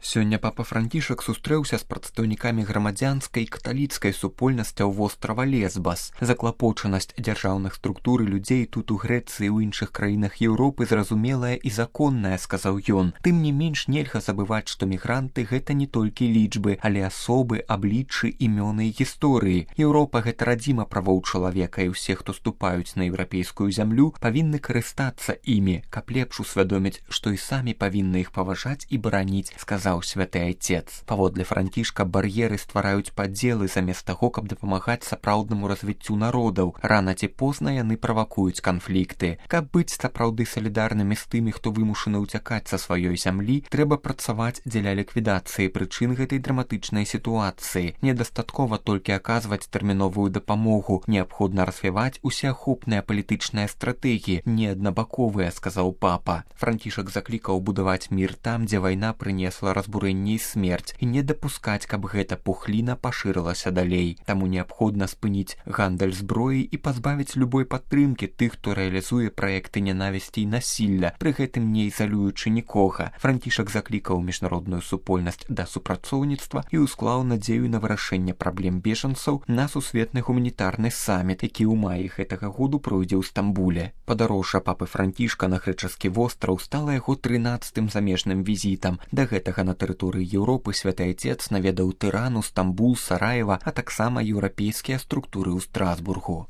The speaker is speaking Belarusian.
Сёння папа Францішак сустрэўся з прадстаўнікамі грамадзянскай і каталіцкай супольнасцяў вострава Лесбас. Заклапочанасць дзяржаўных структур і людзей тут у Грэцыі і ў іншых краінах Еўропы зразумелая і законная, сказаў ён. Тым не менш нельга забываць, што мігранты гэта не толькі лічбы, але асобы, абліччы, імёны і гісторыі. Еўропа гэта радзіма правоў чалавека, і ўсе, хто ступаюць на еўрапейскую зямлю, павінны карыстацца імі, каб лепш усвядоміць, што і самі павінны іх паважаць і бараніць, сказаў святы айцец. Паводле Францішка бар'еры ствараюць падзелы замест таго, каб дапамагаць сапраўднаму развіццю народаў. Рана ці позна яны правакуюць канфлікты. Каб быць сапраўды салідарнымі з тымі, хто вымушаны ўцякаць са сваёй зямлі, трэба працаваць дзеля ліквідацыі прычын гэтай драматычнай сітуацыі. Недастаткова толькі аказваць тэрміновую дапамогу, неабходна развіваць усеахопныя палітычныя стратэгіі, не аднабаковыя, сказаў папа. Францішак заклікаў будаваць мір там, дзе вайна прынесла разбурэнне і смерць, і не дапускаць, каб гэта пухліна пашырылася далей. Таму неабходна спыніць гандаль зброі і пазбавіць любой падтрымкі тых, хто рэалізуе праекты нянавісці і насілля, пры гэтым не ізалюючы нікога. Францішак заклікаў міжнародную супольнасць да супрацоўніцтва і усклаў надзею на вырашэнне праблем бежанцаў на сусветны гуманітарны саміт, які ў маі гэтага году пройдзе ў Стамбуле. Падарожжа папы Францішка на грэчаскі востраў стала яго 13-м замежным візітам. Да гэтага на тэрыторыі Еўропы святы айцец наведаў Тырану, Стамбул, Сараева, а таксама еўрапейскія структуры ў Страсбургу.